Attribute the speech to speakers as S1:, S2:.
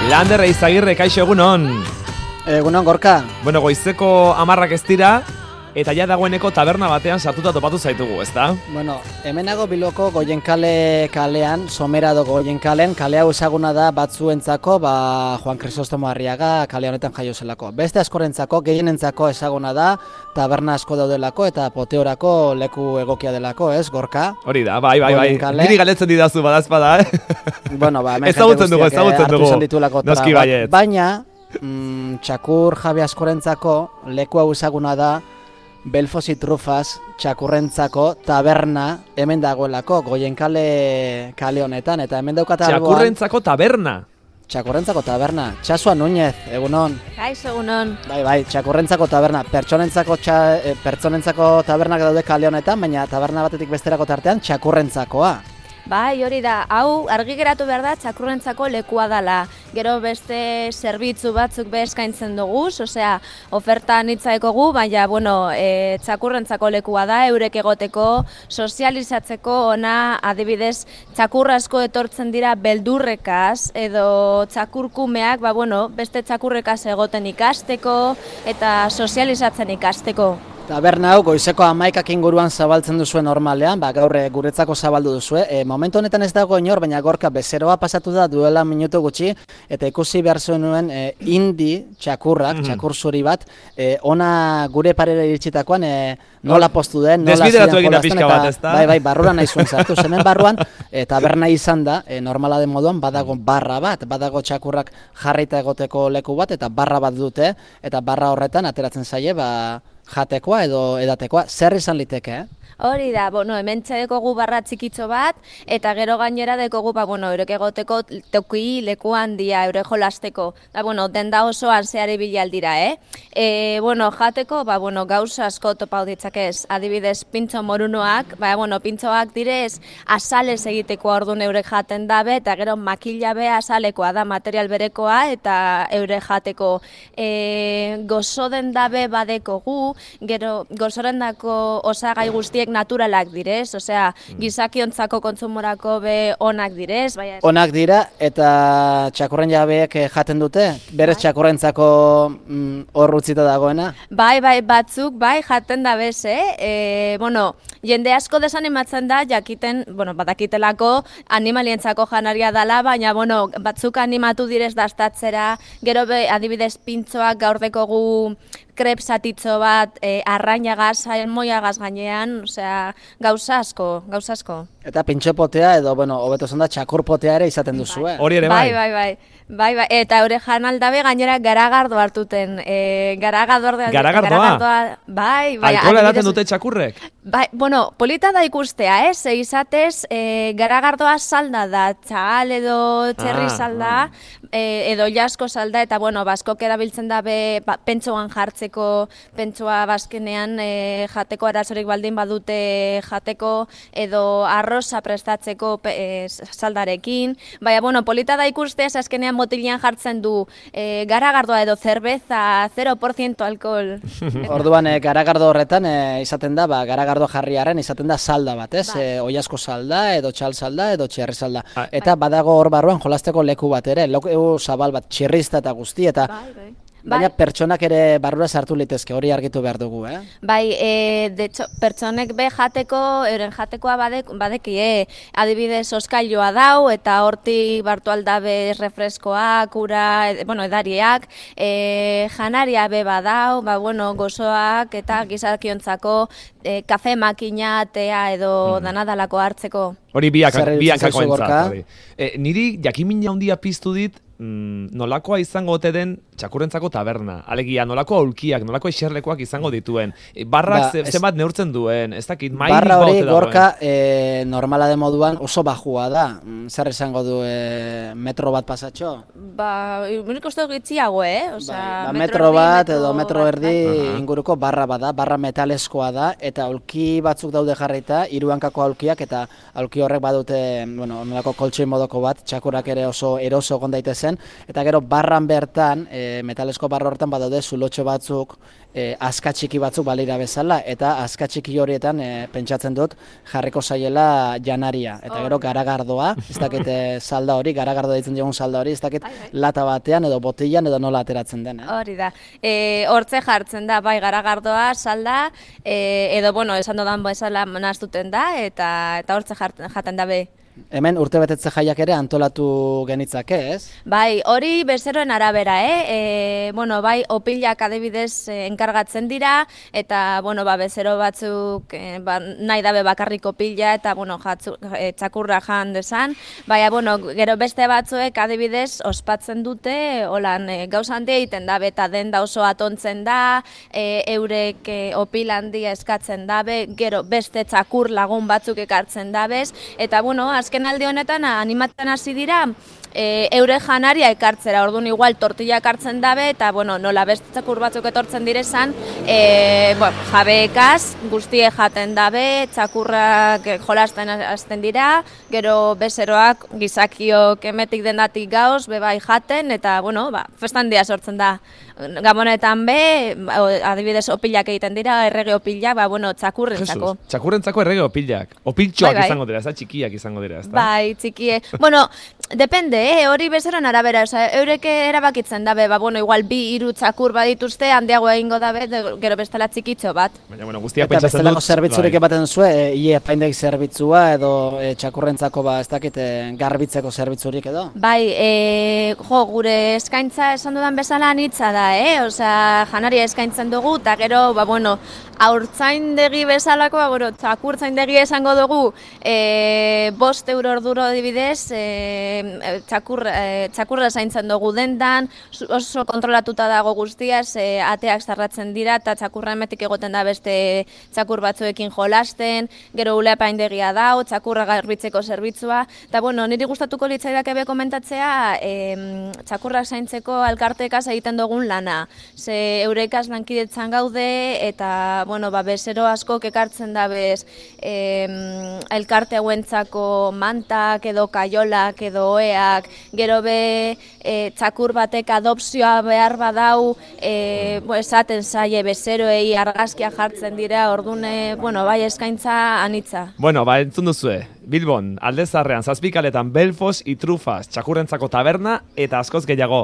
S1: Lander Eizagirre, kaixo egunon.
S2: Egunon, Gorka.
S1: Bueno, goizeko 10 ez dira, eta ja dagoeneko taberna batean sartuta topatu zaitugu, ezta?
S2: Bueno, hemenago Bilboko Goienkale kalean, Somerado Goienkalen, kale hau ezaguna da batzuentzako, Juan Crisostomo Arriaga kale honetan jaio zelako. Beste askorentzako, gehienentzako ezaguna da, taberna asko daudelako eta poteorako leku egokia delako, ez, Gorka?
S1: Hori da, bai. Niri galetzen didazu badazpada,
S2: Bueno, hemen
S1: ezagutzen dugu.
S2: hartu izan ditulako
S1: Noski baiet.
S2: Baina, txakur jabe askorentzako, leku hau ezaguna da, Belfos y Trufas txakurrentzako taberna hemen dagoelako Goienkale kale honetan, eta hemen daukata
S1: Txakurrentzako taberna.
S2: Txakurrentzako taberna. Txasua Núñez, egunon.
S3: Kaixo, egunon.
S2: Bai, txakurrentzako taberna. Pertsonentzako tabernak daude kale honetan, baina taberna batetik besterako tartean txakurrentzakoa.
S3: Bai, hori da, hau argi geratu behar da txakurrentzako lekua dela. Gero beste zerbitzu batzuk be eskaintzen dugu, osea, oferta nitzaekogu, baina, txakurrentzako lekua da, eurek egoteko, sozializatzeko, ona, adibidez, txakur asko etortzen dira beldurrekaz, edo txakurkumeak, beste txakurrekaz egoten ikasteko, eta sozializatzen ikasteko.
S2: Taberna hau goizeko 11 inguruan zabaltzen duzue normalean, gaur guretzako zabaldu duzue. Momentu honetan ez dago inor, baina Gorka bezeroa pasatu da duela minutu gutxi, eta ikusi behar zuen nuen indi txakurrak, txakur zuri bat, ona gure parera iritsitakoan nola postu den, nola
S1: desbideratu egin da pixka bat, ezta?
S2: Bai, barruan nahi zuen zartu, zenen barruan, taberna izan da, normala den moduan, badago barra bat, badago txakurrak jarrita egoteko leku bat, eta barra bat dute, eta barra horretan ateratzen zaie, jatekoa edo edatekoa, zer izan liteke,
S3: Hori da, hemen txedekogu barra txikitxo bat, eta gero gainera dekogu, eurek egoteko toki leku handia, eure jolasteko. Denda osoan zehari bilaldira, jateko, gauza asko topau ditzakez, adibidez, pintxo morunoak, pintxoak direz, azalez egiteko orduan eurek jaten dabe, eta gero makila be azalekoa da, material berekoa, eta eure jateko. Gozoden dabe badekogu, gero gozoren dako osagai guztiek naturalak direz, osea, gizakiontzako kontsumorako be onak direz.
S2: Onak dira, eta txakurren jabeek jaten dute? Berez txakurrentzako hor utzita dagoena?
S3: Bai, batzuk, jaten da bez, jende asko desanimatzen da, jakiten, badakitelako animalientzako janaria dela, baina, batzuk animatu direz dastatzera, gero be, adibidez, pintxoak gaur dekogu krepsatitzo bat, arrainagaz, salmoiagaz gainean, osea, gauza asko.
S2: Eta pintxopotea edo, hobeto zanda, txakurpotea ere izaten duzu,
S1: Hori ere bai.
S3: Bai, eta eure janaldabe gainera garagardo hartuten.
S1: Garagardoa?
S3: Bai.
S1: Alkohola edaten dute txakurrek?
S3: Bai, polita da ikustea, izatez, garagardoa salda da, txal edo txerri salda, edo jasko salda, eta, baskok erabiltzen dabe pentsoan jartzeko, pentsoa bazkenean jateko arazorik baldin badute jateko, edo arroza prestatzeko saldarekin. Baina, polita da ikustea, azkenean botilian jartzen du garagardoa edo zerbeza 0% alkohol.
S2: Orduan, garagardo horretan izaten da, garagardo jarriaren izaten da salda bat, ez? Oiasko salda, edo txal salda, edo txerri salda. Eta badago hor barruan jolasteko leku bat ere, leku zabal bat, txirrizta eta guzti, eta baina pertsonak ere barrura sartu litezke, hori argitu behar dugu,
S3: Bai, de hecho, pertsonek be jateko, euren jatekoa badekie, adibidez oskailoa dau, eta hortik bartu aldabe refreskoak, ura, edariak, janaria be badau, gozoak eta gizakiontzako kafe makina, tea edo danadalako hartzeko.
S1: Hori biakako entzat. Niri jakimina handia piztu dit, nolakoa izango ote den txakurrentzako taberna. Alegia, nolako aulkiak, nolako eserlekoak izango dituen. Barrak zenbat neurtzen duen, ez dakit, mailik
S2: barra hori, Gorka,
S1: normala
S2: de moduan oso bajua da. Zer izango du metro bat pasatxo?
S3: Unik uste gitziago,
S2: metro bat edo metro erdi inguruko barra bada, barra metaleskoa da, eta aulki batzuk daude jarrita, 3 hankako aulkiak, eta aulki horrek badute, onelako koltxoi modoko bat, txakurrak ere oso eroso egon daitezen, zen, eta gero barran bertan, metalesko barra hortan badaude zulotxo batzuk, aska txiki batzuk balira bezala, eta aska txiki horietan pentsatzen dut jarriko zaiela janaria. Eta gero garagardoa, ez dakit salda hori, garagardoa ditzen diogun salda hori, ez dakit lata batean edo botillan edo nola ateratzen den.
S3: Hori da. Hortze jartzen da, bai, garagardoa, salda, edo, bueno, esan dodan bezala nahaztuten da, eta hortze jaten da be.
S2: Hemen urtebetetze jaiak ere antolatu genitzake, ez?
S3: Bai, hori bezeroen arabera, bueno, bai, opilak adibidez enkargatzen dira, eta, bueno, bezero batzuk nahi dabe bakarrik opila, eta, bueno, txakurra jan desan. Baina, bueno, gero beste batzuek adibidez ospatzen dute, holan, gauza handia egiten dabe, eta denda oso atontzen da, eurek opil handia eskatzen dabe, gero beste txakur lagun batzuk ekartzen dabez, eta, bueno, azken aldi honetan animatzen hasi dira eure janaria ekartzera, orduan igual tortilla ekartzen dabe, eta bueno, nola beste txakur batzuk etortzen direzan, jabeekaz guztie jaten dabe, txakurrak jolasten hasten dira, gero bezeroak gizakiok emetik dendatik gauz, bebai jaten, eta bueno, festan dia sortzen da. Gabonetan be, adibidez opilak egiten dira, errege opilak, bueno, txakurrentzako.
S1: Txakurrentzako errege opilak. Opiltxoak izango dira, txikiak izango dira, ezta?
S3: Bai, txikie. Bueno, depende, hori bezeroen arabera, eureke erabakitzen dabe, bueno, igual 2-3 txakur badituzte, handiago egingo dabe, gero bestela txikitxo bat.
S1: Baina, bueno, guztiak
S2: eta
S1: pentsatzen dut.
S2: Eta bestelako zerbitzurik ebaten zuen, ie apaindegi zerbitzua edo txakurrentzako, ez dakit, garbitzeko zerbitzurik edo?
S3: Bai, gure eskaintza esan dudan bezala anitza da, osea, janaria eskaintzen dugu, eta gero, bueno, haurtzaindegi bezalako, bueno, txakurtzaindegi esango dugu, 5 euro orduro adibidez, txakurra zaintzen dugu dendan, oso kontrolatuta dago guztiaz, ateak zarratzen dira, eta txakurra emetik egoten da beste txakur batzuekin jolasten, gero uleapaindegia dau, txakurra garbitzeko zerbitzua, eta bueno, niri gustatuko litzaidak ebe komentatzea, txakurrak zaintzeko elkarteekaz egiten dugun lana. Ze eurekaz lankidetzan gaude, eta bueno, bezero askok ekartzen dabez elkarte hauentzako mantak edo kaiolak edo oeak, gero be txakur batek adopzioa behar badau, esaten zaie bezeroei argazkia jartzen dira, ordune, bueno, bai eskaintza anitza.
S1: Bueno, entzun duzue, Bilbon, Aldezarrean, Zazpikaletan, Belfos, Itrufas, txakurrentzako taberna eta askoz gehiago.